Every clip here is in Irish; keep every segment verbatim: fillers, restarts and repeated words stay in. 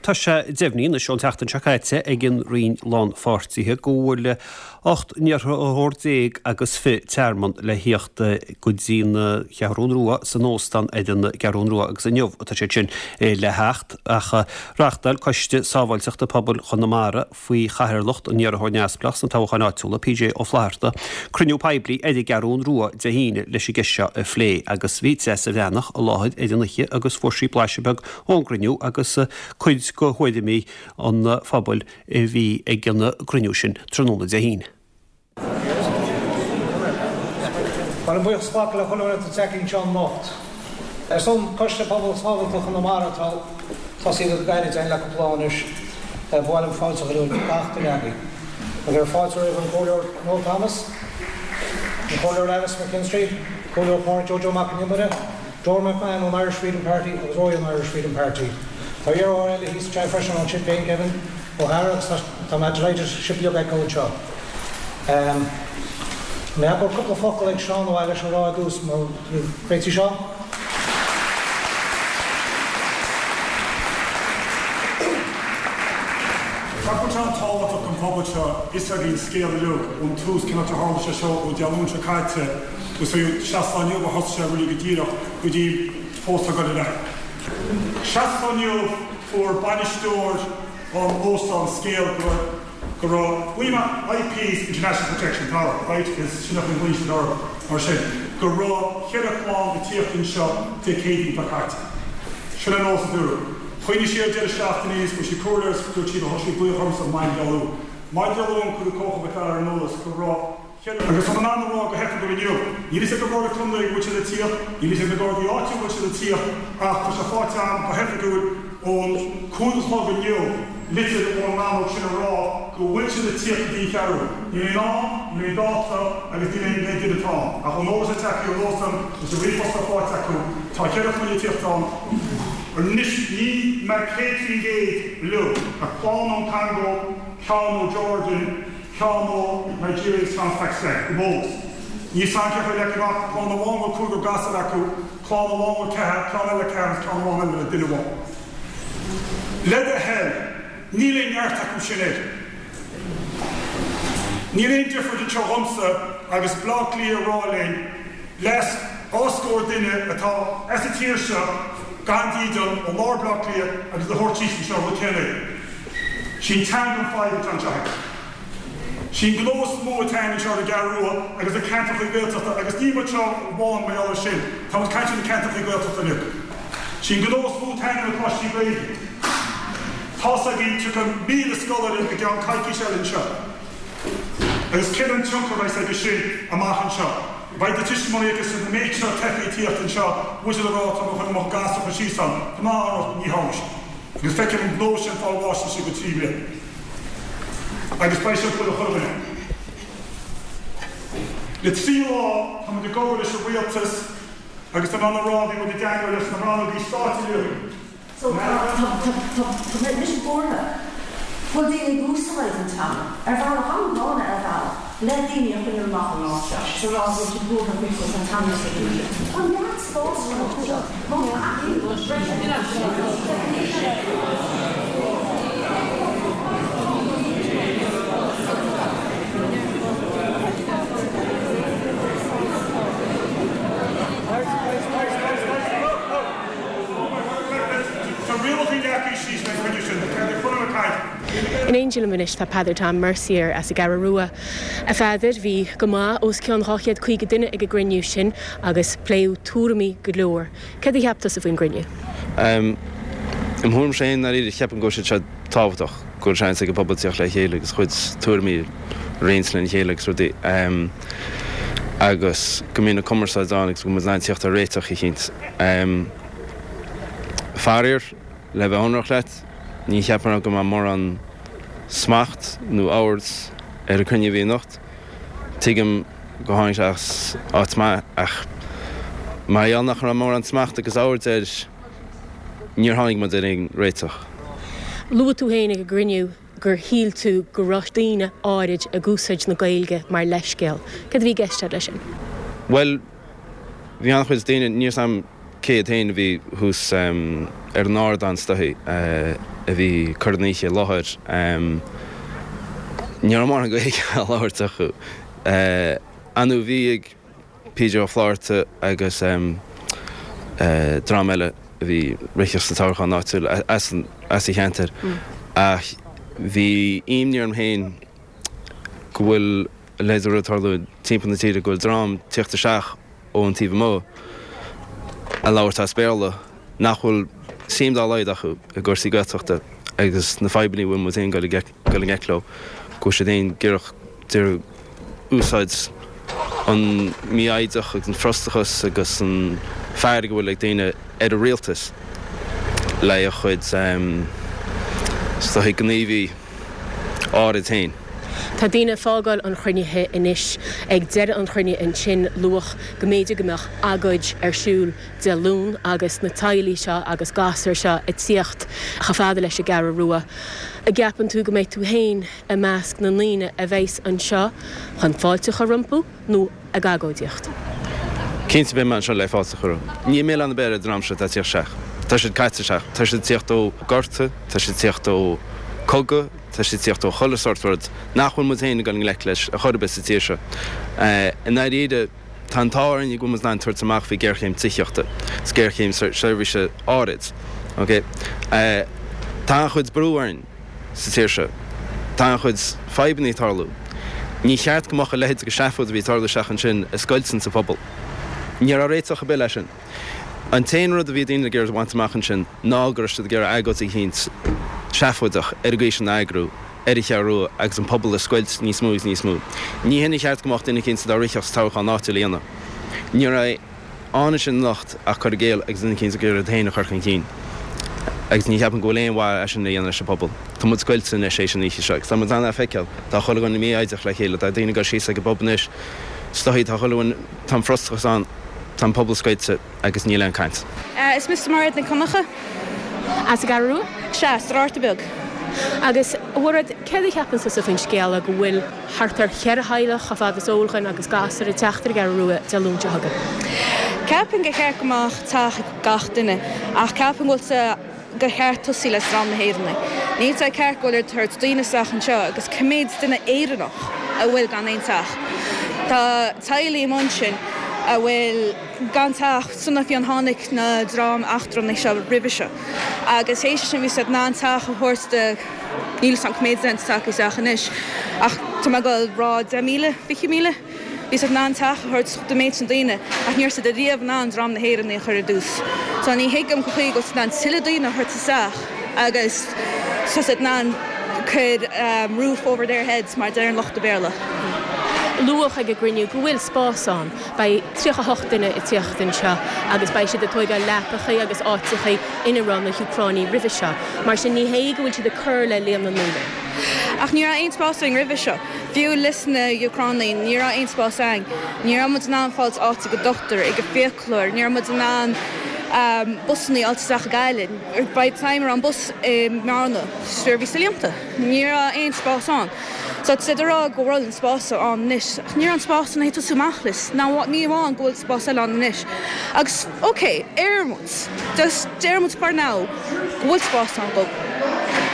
Tá sé deimhnithe anois ón tseachtain seo caite ag an Roinn Lánpháirtithe go bhfuil ocht n-iarrthóir déag agus fiche tearmann le thíocht go dtí an Cheathrú Rua san óstán ar an gCeathrú Rua agus inniu atá sé sin le theacht ach reáchtáil Coiste Sábháilteachta Pobail Chonamara faoi chathaoirleacht an iarrthóir neamhspleách sna toghcháin áitiúla P J Ó Flatharta cruinniú poiblí ar an gCeathrú Rua Dé hAoine leis an gceist seo a phlé agus bhí Treasa Bhreathnach i láthair ar an oíche agus fuair sí blaiseadh beag ón gcruinniú agus cuid de thuairimí an phobail a bhí ag an gcruinniú sin tráthnóna Dé hAoine. Well an buíochas le chuile atá anseo anocht. Ar son Coiste Pobal Sábháilteachta Chonamara tá tosaithe go gairid le cúpla lá anois bhailim fáilte gach duine agaibh. Agus ar fáilte roimh an Comhairleoir Noel Thomas, an Comhairleoir Alice McKinstry, Comhairleoir Pádraig Joe Mac an Iomaire, Dora McMahon ón Irish Freedom Party agus Roy an Irish Freedom Party. Tá iarrthóir eile thíos anseo freisin ón Sinn Féin Kevin O'Hara agus tá mé delighted sibh uilig a fheiceáil anseo. Um, Mé go cúpla focal ag Seán ó leis an rá dús mar féití seo? Tá tábhachtach an pobal seo is a bhíon scéal uilig ón tús cén áit a tharla sé seo ó Dé Luain seo caite agus seachtain inniu a thosaigh sé really go díreach go dtí fós go le. Seachtain inniu fuair bainisteoir an óstán scéal go go raibh buíma I Ps International Protection Power, right, is sin an bhuin mar sin, go raibh ceithre chlann ag tíocht anseo Dé Céadaoin seo caite. Sin an nós dúru. Chuoine si deireadh seachtaine go si cúir dúirt siad thá sí buíoch ormsa maidin Dé Luain. Maidin Dé Luain chuir cócha fear ar an eolas go raibh Agus tá an rá go hoifigiúil inniu. Níl sé go bhar contae go bhfuil siad ag tíocht, níl sé na Gardaí áitiúla bhfuil siad ag tíocht ach tá sé faighte agam go hoifigiúil ón cúig a chlog inniu litir ón rannóg sin a rá go bhfuil siad ag tíocht go dtí an Cheathrú. Níl aon am, níl aon dáta agus níl aon duine atá ach ón eolas atá acu ón óstán is a ríomhphost faighte acu tá ceithre chlainne ag tíocht ann. Anois ní me céad faoin gcéad leo ach clann ón Congo, ceann ó Jordan, ceann ó Nigeria is ceann Pakistan, go bós. Ní san ce le gach clann amháin bhfuil cúigear gasúr acu, clann amháin bhfuil ceathair, clann eile ceathair, ceann amháin eile le duine amháin. Le do thoil, níl aon neart acu sin é. Níl aon difear anseo dhomsa agus Bleá Cliath rá linn leis oscóir duine atá as an tír seo gan dídean ó lár Bleá Cliath agus a thabhairt síos anseo rud céanna. Sin teanga an fadhb atá anseo. Sin gnó is mó atá anseo ar an gCeathrú Rua agus na ceantracha Gaeltachta agus ní mar seo amháin mar gheall air sin, Tá muid caint na ceantracha Gaeltachta uilig. Sin gnó is mó atá na coláistí Gaeilge. Tá againn tríocha míle scoláire i gceann coicís eile anseo. Agus cén an tionchar a bheidh aige sin amach anseo. Beidh na tuismitheoirí agus na méid seo teifigh ag tíocht anseo, bhfuil siad ag rá tá chun mo ghasúr a chur síos ann, Tá má ní tharla sé. Agus feicim an gnó sin fáil bháis sé go trí bliana. Agus beidh sé chuile chuile. Le trí lá tá muid ag obair leis an rialtas agus tá an rá bhí muid ag teagmháil leis na rannógaí stáit uilig. So tá mise buartha. Bhfuil daoine ag úsáid an teanga ar bhealach an-ghránna ar bhealach le daoine a choinneáil amach an áit seo, sa rá bhfuil siad buartha faoi an teanga sa Tá neart spás seo má tá Tá rialacha leacaí síos le chuide sin, chun caint. In éindí liom anois tá Peadar Tom Mercier as an gCeathrú Rua. A Pheadair bhí go maith os cionn dhá chéad caoga duine ag an gcruinniú sin agus pléadh tuairimí go leor. Cad a cheap tusa faoin gcruinniú? Um, Im thuairim féin ar cheapaim go sé sé tábhachtach go seans ag an bpobal tíocht le chéile agus chuid tuairimí roinnt lena chéile agus rudaí. Um, agus go mbíonn na cumarsáid ann agus go mbíonn tíocht ar réiteach eicínt. Um, Faraor le bheith ionraic leat, ní cheapaim go mbeidh mórán smacht nó ord ar an gcruinniú bhí anocht. Tuigim go tháinig sé as áit maith ach mar gheall nach raibh mórán smacht agus ord air níor tháinig muid ar aon réiteach. Luaigh tú féin ag an gcruinniú gur shíl tú go raibh daoine áirid ag úsáid na Gaeilge mar leithscéal. Cad a bhí i gceist leis sin? Well, bhí an-chuid daoine níor sam céad féin a bhí thuas um, ar an ardán stoí uh, a bhí ag cur an oíche i láthair, ní raibh mórán Gaeilge á labhairt acu. Ar ndóigh bhí ag P J Ó Flatharta agus dream eile a bhí ag rith sa toghchán áitiúil as an cheantar ach bhí imní orm féin go bhfuil a leithéid de rud ag tarlú timpeall na tíre, go bhfuil dream ag tíocht isteach ón taobh amuigh ag labhairt as Béarla nach bhfuil suim dá laghad acu i gcúrsaí Gaeltachta agus na fadhbanna a bhfuil muid féin ag dul i ngleic leo, go bhfuil siad féin ag iarraidh úsáid an mífhoighdeach agus an frustrachas agus an fearg a bhfuil ag daoine ar an rialtas le a chuid is dóigh gníomhaí áirid féin. Tá daoine ag fágáil an chruinnithe anois. Ag deireadh an chruinnithe ansin luadh go mb'fhéidir go mbeadh agóid ar siúl Dé Luain agus na teaghlaigh seo agus gasúir seo ag tíocht chomh fada leis an gCeathrú Rua. An gceapann tú go mbeidh tú féin i measc na ndaoine a bheas anseo chun fáilte a chur rompu nó ag agóidíocht? Cinnte beidh mé anseo le fáilte a chur rompu. Níl milleán ar bith ar an dream seo atá ag tíocht isteach. Tá siad caite isteach. Tá siad ag tíocht ó gorta, tá siad ag tíocht ó cogadh, tá siad ag tíocht ó chuile sórt rud nach bhfuil muid féin ag dul i ngleic leis ar chor ar bith sa tír seo. I ndáiríre, tá an t-ádh orainn go bhfuil muid in ann tabhairt amach faoi géarchéim tithíochta is géarchéim seirbhíse áirid. Ok? Tá an-chuid brú orainn sa tír seo. Tá an-chuid fadhbanna ag tarlú. Ní cheart go mbeadh a leithéid de seafóid a bhí ag tarlú isteach ansin ag scoilteadh sa phobal. Ní raibh réiteach ar bith leis sin. An t-aon rud a bhí daoine ag iarraidh a bhaint amach ansin ná go raibh siad ag iarraidh agóid eicínt seafóideach ar an gcaoi sin a eagrú ar an Cheathrú Rua agus an pobal a scoilt níos mó agus níos mó. Ní hin a cheart go mbeadh duine eicínt atá ag rith sa toghchán áitiúil a dhéanamh. Ní raibh ann ansin anocht ach cur i gcéill agus duine eicínt ag iarraidh iad féin a chur chun cinn. Agus ní cheapaim go bhfuil aon mhaith as sin a dhéanamh leis an bpobal. Tá muid scoilte anois théis an oíche seo agus tá muid in ann é a feiceáil. Tá chuile dhuine mífhoighdeach le chéile, tá daoine ag dul síos ag an bpub anois. Is dóigh, tá chuile dhuine, tá an frustrachas ann, tá an pobal scoilte agus níl aon caint. Is mise Mairéad Nic Dhonncha. As an gCeathrú Rua? Sea, as an Rabharta Beag. Agus, a Mhairéad, céard a cheapann tusa faoin scéala go bhfuil thart ar cheithre theaghlach, chomh fada is eol dhuinn, agus gasúir ag teacht ar an gCeathrú Rua Dé Luain seo chugainn? Ceapaim gur cheart go mbeadh teach ag gach duine, ach ceapaim go bhfuil sé gur cheart tosaí le dream na hÉireannaigh. Níl sé ceart go bhfuil ag tabhairt daoine isteach anseo agus cá mhéad duine Éireannach a bhfuil gan aon teach. Tá teaghlaigh amuigh ansin a bhfuil gan teach sula fiú tháinig na dream eachtrannaigh seo roimhe seo agus théis sin bhí siad in ann teach a thabhairt do níl a fhios agam cá mhéad duine atá tagtha isteach anois ach tá mé ag dul a rá deich míle, fiche míle. Bhí siad in ann teach a thabhairt don méid sin daoine ach ní raibh siad ariamh in ann dream na hÉireannaigh a chur ar dtús. So ní thuigim cén chaoi go bhfuil siad in ann tuilleadh daoine a thabhairt isteach agus tá siad in ann cur roof over their heads mar a deir an lucht Béarla. Luadh ag an gcruinniú go bhfuil spás ann. Beidh tríocha a hocht duine ag tíocht anseo agus beidh siad ag tóigeáil leapachaí agus áiteachaí ina raibh na hÚcránaigh roimhe seo. Mar sin ní hé go bhfuil siad ag cur le líon na ndaoine. Ach ní raibh aon spás ann roimhe seo. Fiú leis na hÚcránaigh, ní raibh aon spás ann. Ní raibh muid in ann fáilt áit ag an dochtúir, ag an fiaclóir, ní raibh muid in ann busanna a fháilt isteach i Gaillimh. By the time a raibh an bus i mBearna, sure bhí sé líonta. Ní raibh aon spás ann. So tá siad ag rá go bhfuil an spás ann anois, ach ní raibh an spás ann ag tosú amach leis. Ná ní amháin go bhfuil spás eile ann anois. Agus ok, ar muid, just deir muid for now go bhfuil spás ann go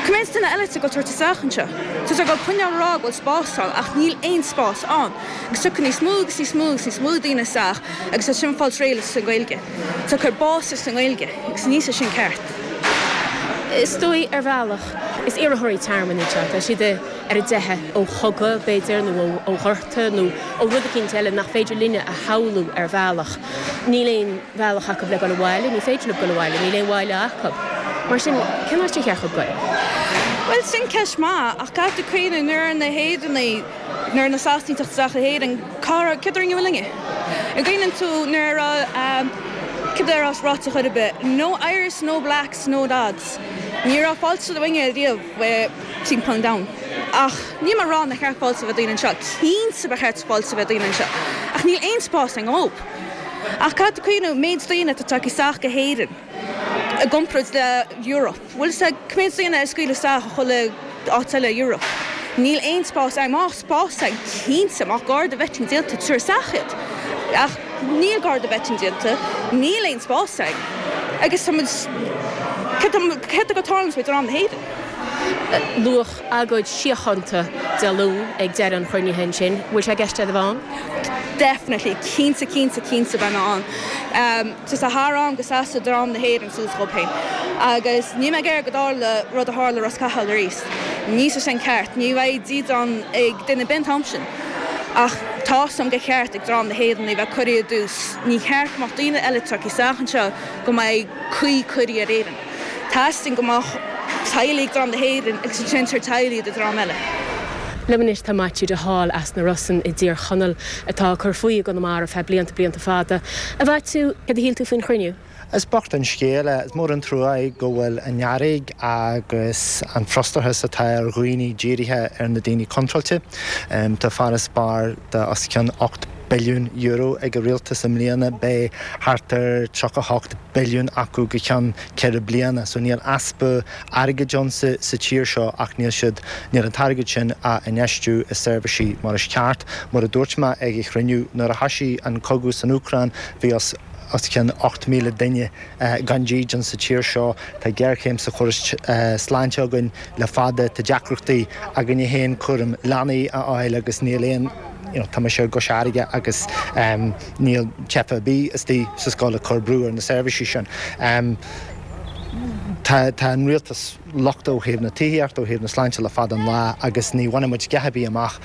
Cá mhéad duine eile atá ag tabhairt isteach anseo? Tá sé ag coinneáil rá go bhfuil spás ann ach níl aon spás ann. Agus tiocfaidh níos mó agus níos mó agus níos mó daoine isteach agus tá sin fáil réidh leis an Ghaeilge. Tá cur bás leis an nGaeilge agus níl sé sin ceart. Is dóigh ar bhealach is iarrthóirí tearmainn iad seo, tá siad ar a dteitheadh ó chogadh b'fhéidir nó ó ghorta nó ó rud eicínt eile nach féidir linne a shamhlú ar bhealach. Níl aon bhealach acu le dul abhaile, ní féidir leo dul abhaile, níl aon bhaile acu. Mar sin cén áit ar cheart dóibh dul? Well sin ceist maith ach caithfidh tú cuimhneamh nuair na hÉireannaigh nuair na Sasanaigh ag teacht isteach go hÉirinn cá céard a rinne linne. An gcuimhneann tú nuair a cad a raibh ráite chor ar bith, no Irish, no blacks, no dogs. Ní raibh fáilte roimhe riamh timpeall an domhain. Ach ní mar rá nach ceart fáilte bheith daoine anseo, cinnte ba cheart fáilte bheith daoine anseo. Ach níl aon spás ag óp. Ach caithfidh tú cuimhneamh méid daoine atá tagtha isteach go hÉirinn i gcomparáid le Europe. Bhfuil sé cá mhéad daoine a scaoileadh isteach ó chuile áit eile Europe. Níl aon spás ag má spás ag cinnte má garda vetting déanta tabhair isteach iad. Ach níl garda vetting déanta, níl aon spás ag. Agus tá Céard go tarlaíonn faoi dream na hÉireann? Luadh agóid síochánta Dé Luain ag deireadh an chruinnithe ansin. Bhfuil sé i gceist é a bheith ann? Definitely, cinnte cinnte cinnte beidh mé ann. Um, tá sé thar am go seasfaidh dream na hÉireann suas dhób féin. Agus níl mé ag iarraidh go dtarla rud a tharla Ros Cathail arís. Níl sé sin ceart, ní bheidh dídean ag duine ar bith an t-am sin. Ach tá a fhios agam gur cheart ag dream na hÉireann a bheith curtha i dtús. Ní cheart go mbeadh daoine eile tagtha isteach anseo go mbeidh caoi curtha ar Éirinn. Teastaíonn go mbeadh teaghlaigh dream na hÉireann agus ansin tar teaghlaigh de dream eile. Liom anois tá Maitiú de Hál as na Rosann i dTír Chonaill atá ag cur faoi i gConamara feadh blianta blianta fada. A Mhaitiú, cad a shíl tú faoin chruinniú? Is bocht an scéal é, is mór an trua é go bhfuil an fhearg agus an frustrachas atá ar dhaoine dírithe ar na daoine contráilte. Tá farasbarr de os cionn ocht billiún euro ag an rialtas i mbliana, beidh thart ar tríocha hocht billiún acu go ceann ceithre bliana. So níl easpa airgid ann sa sa tír seo ach níl siad níl an t-airgead sin á infheistiú i seirbhísí mar is ceart. Mar a dúirt mé ag an chruinniú nuair a thosaigh an cogadh san Úcráin bhí os os cionn ocht míle duine gan dídean sa tír seo, tá géarchéim sa chóras sláinte againn le fada, tá deacrachtaí againne féin cúram leanaí a fháil agus níl aon you know, tá mise i gCois Fharraige agus um, níl teifeach ar bith istigh sa scoil ag cur brú ar na seirbhísí sin. Um, Tá tá an rialtas lochtach ó thaobh na tithíochta ó thaobh na sláinte le fada an lá agus ní bhainfidh muid a dhath ar bith amach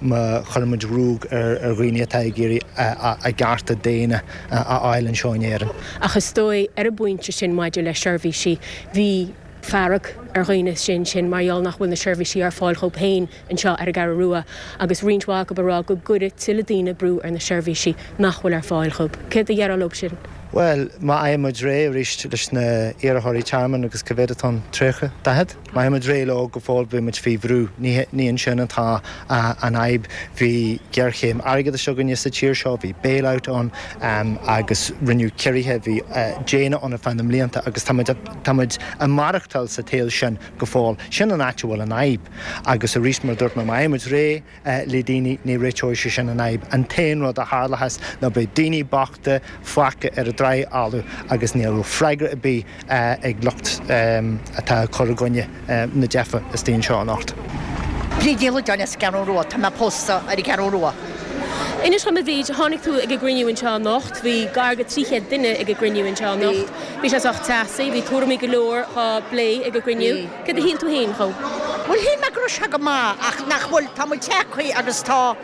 má chuireann muid ruaig ar ar dhaoine atá ag iarraidh a gcearta daonna a fháil anseo in Éirinn. Ach is dóigh ar an bpointe sin maidir le seirbhísí bhí fearg ar dhaoine sin sin mar gheall nach bhfuil na seirbhísí ar fáil dhóibh féin anseo ar an gCeathrú Rua agus roinnt mhaith acu ag rá go gcuirfidh tuilleadh daoine brú ar na seirbhísí nach bhfuil ar fáil dhóibh. Céard a déarfá leo sin? Well, má fhaigheann muid réidh arís leis na iarrthóirí tearmainn agus cá mhéad atá ann tríocha, daichead? Má fhaigheann muid réidh leo go fóill beidh muid faoi bhrú. Ní ní ansin atá an fhadhb. Bhí géarchéim airgeadais againne sa tír seo, bhí bailout ann um, agus rinneadh ciorruithe, bhí uh, déine ann ar feadh na mblianta agus tá muid tá muid ag maireachtáil sa tsaol sin go fóill. Sin an áit a bhfuil an fhadhb. Agus arís mar dúirt mé má fhaigheann muid réidh uh, le daoine ní réiteoidh sé sin an fhadhb. An t-aon rud a tharlós ná beidh daoine bochta fágtha ar an dtráigh fholamh agus níl freagra ar bith uh, ag lucht um, atá ag cur i gcoinne uh, na dteifeach istigh anseo anocht. Bríd Ní Loideáin as an gCeathrú Rua, tá mé pósta ar an gCeathrú Rua. Inis dom a Bhríd, tháinig tú ag an gcruinniú anseo anocht, bhí gar do trí chéad duine ag an gcruinniú anseo anocht. Bhí sé sách teasaí, bhí tuairimí go leor á bplé ag an gcruinniú. Cad a shíl tú féin dhó? Bhuel shíl mé go raibh sé go maith ach nach bhfuil tá muid tagtha agus tá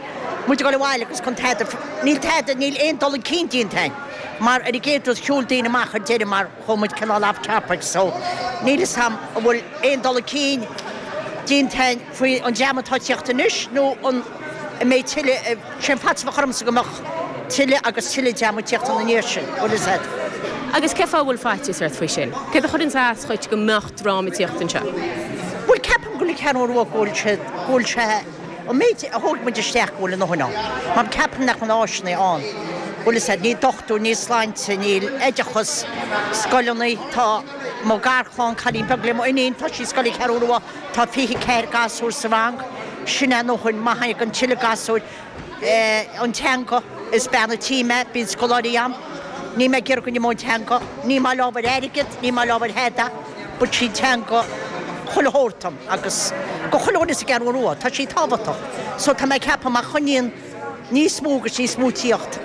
muid ag dul abhaile agus chun tada níl tada níl aon dul chun cinn déanta mar ar an gcéad rud shiúil daoine amach ar deireadh mar chuaigh muid cineál off topic so níl fhios a'm an bhfuil aon dul chun cinn déanta faoi an dream atá ag tíocht anois nó an an mbeidh tuilleadh sé an faitíos a bheadh ormsa go mbeadh tuilleadh agus tuilleadh dream ag tíocht ina ndiaidh sin bhfuil fhios a'd. Agus cén fáth a bhfuil faitíos ort faoi sin? Céard a chuireann as dhuit go mbeadh dream ag tíocht anseo? Bhuel ceapaim go bhfuil an Cheathrú Rua go bhfuil sé go bhfuil sé an méid a thóg muid isteach go bhfuil a ndóthain ann. Mar ceapaim nach bhfuil áiseanna ann. Bhfuil fhios a'd níl dochtúir, níl sláinte, níl oideachas, scoileanna, tá mo gharchlann cailín beag le mo iníon, tá sí scoil Cheathrú Rua, tá fiche ceathair gasúr sa rang, sin é a ndóthain má thagann tuilleadh gasúir an teanga is bean a' tí mé, bíonn scoláirí a'm, níl mé ag iarraidh go n-imeodh an teanga, ní maith liom ábhar airgid, ní maith liom ábhar tada, but sí teanga chuile shórt dom agus go chuile dhuine sa gCeathrú Rua, tá sí tábhachtach. So tá mé ag ceapadh má choinníonn níos mó agus níos mó tíocht,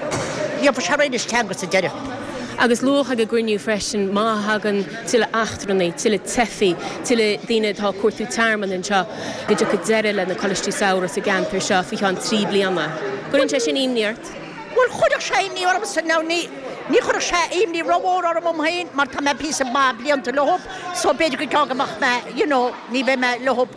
gheobhaidh sé réidh leis teanga sa deireadh. Agus luadh ag an gcruinniú freisin má thagann tuilleadh eachtrannaigh, tuilleadh teifigh, tuilleadh daoine atá ag cuartú tearmann anseo, go dtiocfaidh deireadh le na coláistí samhraidh sa gceantar seo faoi cheann trí bliana. Cuireann sé sin imní ort? Bhuel chuirfeadh sé imní ormsa now ní ní chuirfeadh sé imní rómhór orm um féin mar tá mé píosa maith blianta leob so b'fhéidir go gceann go mbeadh mé you know ní bheidh mé leob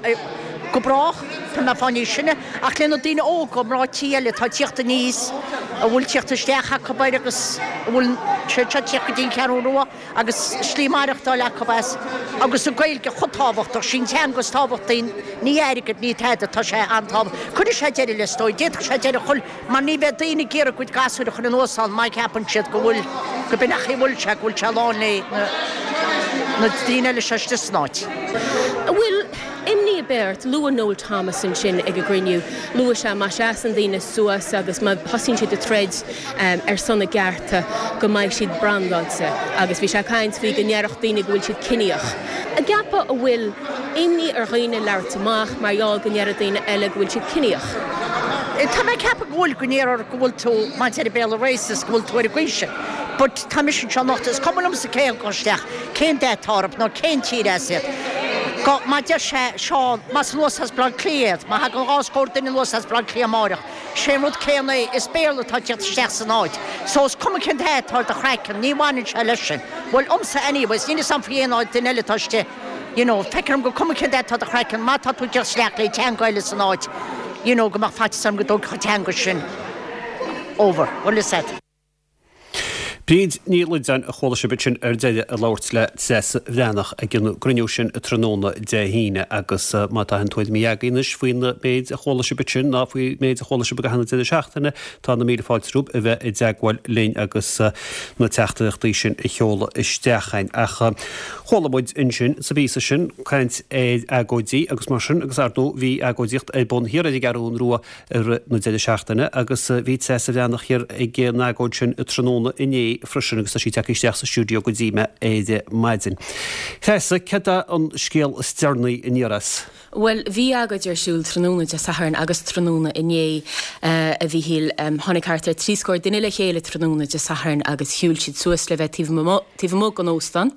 go brách, tá mé fá níos sine, ach le na daoine óga mná tí eile atá ag tíocht aníos, a bhfuil tíocht isteach acu air agus a bhfuil sé seo tíocht go dtí an Cheathrú Rua agus slí maireachtáil acu as agus an Ghaeilge chomh tábhachtach, sin teanga is tábhachtaí, ní airgead, ní tada, tá sé an-tábhachtach. Cuirfidh sé deireadh le is dóigh, d'fhéadfadh sé deireadh a chur mar ní bheidh daoine ag iarraidh a gcuid gasúir a chur anuas ann má cheapann siad go bhfuil, go b'in ach a bhfuil sé, go bhfuil sé lán le na daoine eile seo istigh san áit. An bhfuil imní ar beart, luaigh Noel Thomas ansin ag an gcruinniú, luaigh sé má sheasann daoine suas agus má thosaíonn siad ag troid ar son a gcearta go mbeidh siad brandáilte agus bhí sé ag caint faoi go ndéarfadh daoine go bhfuil siad ciníoch. An gceapfá an bhfuil imní ar dhaoine labhairt amach mar gheall go ndéarfadh daoine eile go bhfuil siad ciníoch? Tá mé ag ceapadh go bhfuil, go ndéarfar go bhfuil tú, mar a deir an Béarla racist, go bhfuil tú ar an gcaoi sin. But tá mise anseo anocht, is cuma liomsa cé a thagann isteach, cén dath atá orthu nó cén tír as iad. Go, mar a deir sé, Seán, más anuas as Baile Átha Cliath iad, má thagann dhá scór duine anuas as Baile Átha Cliath amáireach, sé an rud céanna é, is Béarla atá ag teacht isteach san áit. So is cuma cén dath atá ar do chraiceann, ní bhaineann sé leis sin. Bhuel, liomsa anyways, níl 'fhios a'm faoi aon duine eile atá istigh, you know, feictear dom gur cuma cén dath atá ar do chraiceann, má tá tú ag teacht isteach le teanga eile san áit, you know, go mbeadh faitíos orm go dtógfadh an teanga sin over. Bhfuil 'fhios a'd. Bríd Ní Loideáin a chuala sibh ansin ar deireadh ag labhairt le Treasa Bhreathnach ag an gcruinniú sin tráthnóna Dé hAoine agus má tá aon tuairimí agaibh anois faoin méid a chuala sibh ansin ná faoin méid a chuala sibh i gcaitheamh na deireadh seachtaine tá na míle fáilte romhaibh a bheith i dteagmháil linn agus na teachtaireachtaí sin a sheoladh isteach chugainn. Ach chuala muid ansin sa bpíosa sin caint ar agóidí agus mar sin agus ar ndóigh bhí agóidíocht ar bun thiar ar an gCeathrú Rua i rith na deireadh seachtaine agus bhí Treasa Bhreathnach thiar ag an agóid sin tráthnóna inné freisin agus tá sí tagtha isteach sa stiúideo go dtí mé ar maidin. Treasa, cad é an scéal is deireanaí aniar as? Bhuel, bhí agóid ar siúl tráthnóna Dé Sathairn agus tráthnóna inné, a Mhíchíl. Tháinig thart ar trí scór duine le chéile tráthnóna Dé Sathairn agus shiúil siad suas le bheith taobh amuigh den óstán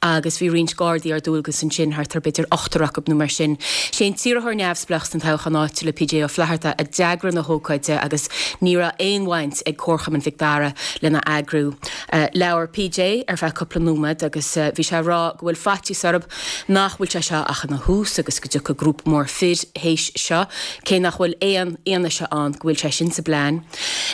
agus bhí roinnt Gardaí ar dualgas ansin, thart ar b'fhéidir ochtar acu nó mar sin. Sé an t-iarrthóir neamhspleách sna toghcháin áitiúla, P J Ó Flatharta, a d'eagraigh na hócáide agus ní raibh aon bhaint ag Comharchumann Mhic Dara lena eagrú. Labhair P J ar feadh cúpla nóiméad agus bhí sé ag rá go bhfuil faitíos orthu nach bhfuil sé seo ach ina thús agus go dtiocfaidh grúpa mór fir théis seo, cé nach bhfuil aon fhianaise ann go bhfuil sé sin sa bplean.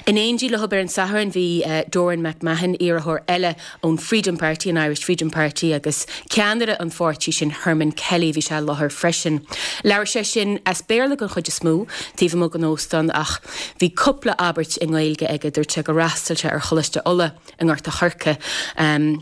In éindí leo ar an Satharn bhí Doireann McMahon, iarrthóir eile ón Freedom Party, an Irish Freedom Party, agus ceannaire an pháirtí sin Herman Kelly, bhí sé i láthair freisin. Labhair sé sin as Béarla den chuid is mó taobh amuigh den óstán ach bhí cúpla abairt i nGaeilge aige. Dúirt sé gur fhreastail sé ar Choláiste Uladh i nGort a' Choirce. Um,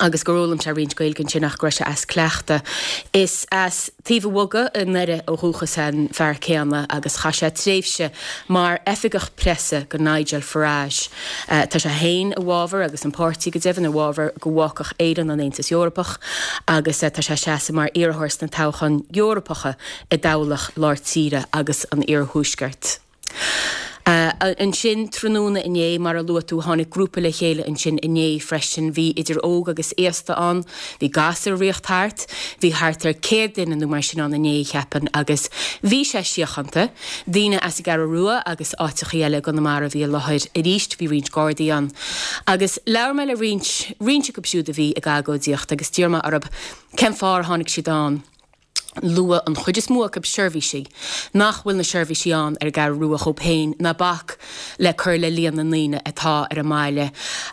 agus gur fhoghlaim sé roinnt Gaeilge ansin ach go raibh sé as cleachtadh. Is as Taobh an Bhogaigh i nDoire ó dhúchas an fear céanna agus chaith sé tréimhse mar oifigeach preasa go Nigel Farage. Tá sé féin i bhfabhar agus an páirtí go deimhin i bhfabhar go bhfágfadh Éirinn an Aontas Eorpach agus tá sé ag seasamh mar iarrthóir sna toghcháin Eorpacha i dtoghlach lár tíre agus an iarthuaiscirt. Ansin tráthnóna inné, mar a luaigh tú, tháinig grúpa le chéile ansin inné freisin. Bhí idir óg agus aosta ann, bhí gasúir ag rith thart, bhí thart ar céad duine nó mar sin ann inné, cheapfainn, agus bhí sé síochánta. Daoine as an gCeathrú Rua agus áiteachaí eile i gConamara a bhí i láthair arís, bhí roinnt Gardaí ann. Agus labhair mé le roinnt, roinnt acu siúd a bhí ag agóidíocht agus d'iarr mé orthu cén fáth ar tháinig siad ann. Luaigh an chuid is mó acu seirbhísí, nach bhfuil na seirbhísí ann ar an gCeathrú Rua dhóibh féin ná bac le cur le líon na ndaoine atá ar an mbaile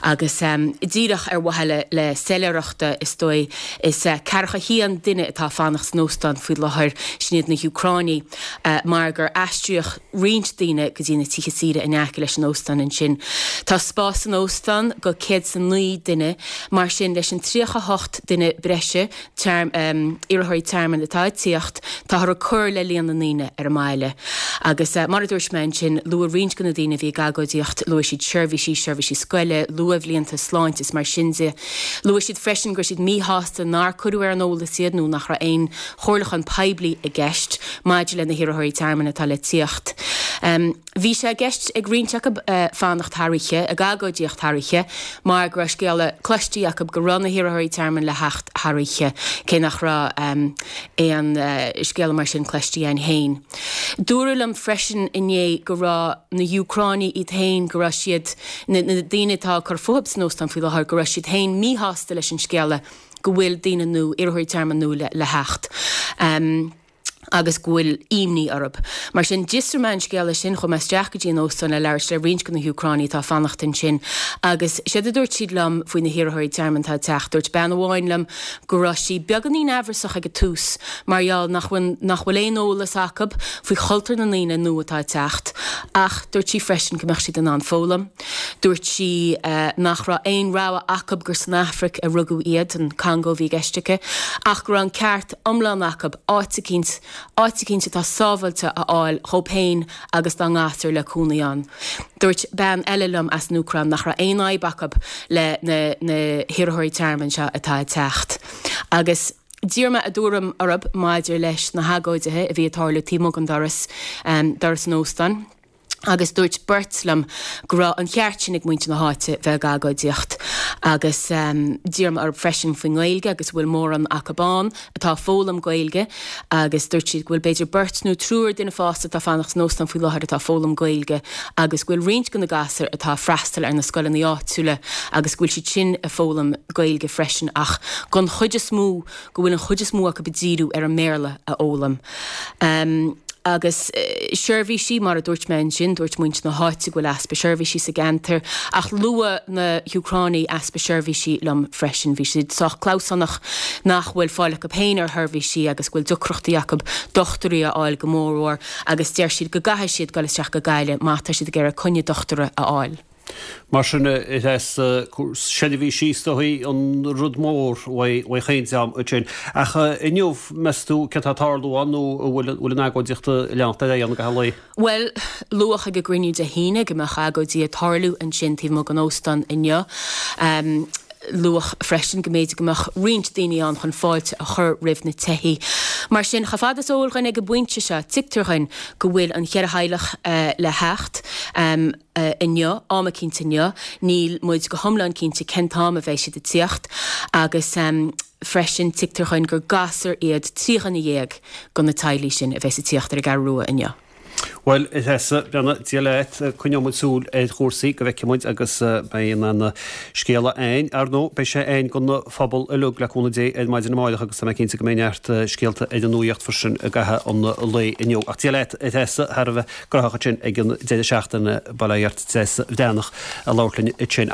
agus díreach ar mhaithe le le soiléireachta is dóigh is ceathracha haon duine atá ag fanacht san óstán faoi láthair, sin iad na hÚcránaigh mar gur aistríodh roinnt daoine go dtí na tithe saoire in aice leis an óstán ansin. Tá spás san óstán go céad is a naoi duine, mar sin leis an tríocha hocht duine breise iarrthóirí tearmainn atá ag tíocht, táthar ag cur le líon na ndaoine ar an mbaile. Agus mar a dúirt mé ansin, luaigh roinnt de na daoine a bhí ag agóidíocht, luaigh siad seirbhísí, seirbhísí scoile, luathbhlianta, sláinte is mar sin de. Luaigh siad freisin go raibh siad míshásta nár cuireadh ar an eolas iad nó nach raibh aon chomhairliúchán poiblí i gceist maidir le na hiarrthóirí tearmainn atá le tíocht. Bhí sé i gceist ag roinnt acu fanacht thar oíche, ag agóidíocht thar oíche, mar go raibh scéala cloiste acu go raibh na hiarrthóirí tearmainn le theacht thar oíche, cé nach raibh aon scéala mar sin cloiste againn féin. Dúradh liom freisin inné go raibh na hÚcránaigh iad féin, go raibh siad, na daoine atá ag cur fúthu san óstán faoi láthair, go raibh siad féin míshásta leis an scéala go bhfuil daoine nua, iarrthóirí tearmainn nua le theacht. Agus go bhfuil imní orthu. Mar sin, d'fhiosraigh mé an scéala sin, chuaigh mé isteach go dtí an óstán le labhairt le roinnt de na hÚcránaigh atá ag fanacht ansin agus séard a dúirt siad liom faoi na hiarrthóirí tearmainn atá ag teacht, dúirt bean amháin liom go raibh sí beagáinín amhrasach ag an tús mar gheall nach bhfuil nach bhfuil aon eolas acu faoi chultúr na ndaoine nua atá ag teacht ach dúirt sí freisin go mbeadh siad in ann foghlaim. Dúirt sí nach raibh aon rogha acu gur san Afraic a rugadh iad, an Congó a bhí i gceist aici, ach go raibh an ceart iomlán acu áit eicínt áit eicínt atá sábháilte a fháil dhóibh féin agus dá ngasúir le cónaí ann. Dúirt bean eile liom as an Úcráin nach raibh aon fhadhb acu le na na hiarrthóirí tearmainn seo atá ag teacht. Agus d'iarr mé a dtuairim orthu maidir leis na hagóidithe a bhí ag tarlú taobh amuigh den doras, doras an óstáin. Agus dúirt beirt liom go raibh an ceart sin ag muintir na háite bheith ag agóidíocht. Agus d'iarr mé orthu freisin faoin nGaeilge agus bhfuil mórán acu ann atá ag foghlaim Gaeilge agus dúirt siad go bhfuil b'fhéidir beirt nó triúr duine fásta atá fanacht san óstán faoi láthair atá ag foghlaim Gaeilge agus go bhfuil roinnt de na gasúir atá ag freastal ar na scoileanna áitiúla agus go bhfuil siad sin ag foghlaim Gaeilge freisin ach gon chuid is mó go bhfuil an chuid is mó acu ag díriú ar an mBéarla a fhoghlaim. Agus seirbhísí, mar a dúirt mé ansin, dúirt muintir na háite go bhfuil easpa seirbhísí sa gceantar, ach luaigh na hÚcránaigh easpa seirbhísí liom freisin. Bhí siad sách clamhsánach nach bhfuil fáil acu féin ar sheirbhísí agus go bhfuil deacrachtaí acu dochtúirí a fháil go mórmhór agus deir siad go gcaithfidh siad dul isteach go Gaillimh má tá siad ag iarraidh coinne dochtúra a fháil. Mar sin, is seirbhísí is dóigh an rud mór uaidh chaon dream ansin. Ach inniu, meas tú céard atá ag tarlú ann nó an bhfuil an agóidíocht ag leanacht ar aghaidh ann i gcaitheamh an lae? Bhuel, luadh ag an gcruinniú Dé hAoine go mbeadh agóidí ag tarlú ansin taobh amuigh den óstán inniu. Luadh freisin go mb'fhéidir go mbeadh roinnt daoine ann chun fáilte a chur roimh na teithí. Mar sin, chomh fada is eol dhuinn ag an bpointe seo, tuigtear dhuinn go bhfuil an cheithre theaghlach le theacht inniu, am eicínt inniu. Níl muid go hiomlán cinnte cén t-am a bheidh siad ag tíocht agus freisin tuigtear dhuinn gur gasúir iad trí dhuine dhéag de na teaghlaigh sin a bheas ag tíocht ar an gCeathrú Rua inniu. Bhuel, a Threasa, beannacht Dé leat, coinneoidh muid súil ar chúrsaí go bhfeicfidh muid agus beidh an scéala againn. Ar ndóigh, beidh sé againn don phobal uilig le cúnamh Dé ar maidin amárach agus tá mé cinnte go mbeidh neart scéalta ar an nuaíocht freisin i gcaitheamh an lae inniu. Ach Dia leat, a Threasa, thar a bheith graitheach ansin ag an deireadh seachtaine, bail ó Dhia ort, Treasa Bhreathnach ag labhairt linn ansin.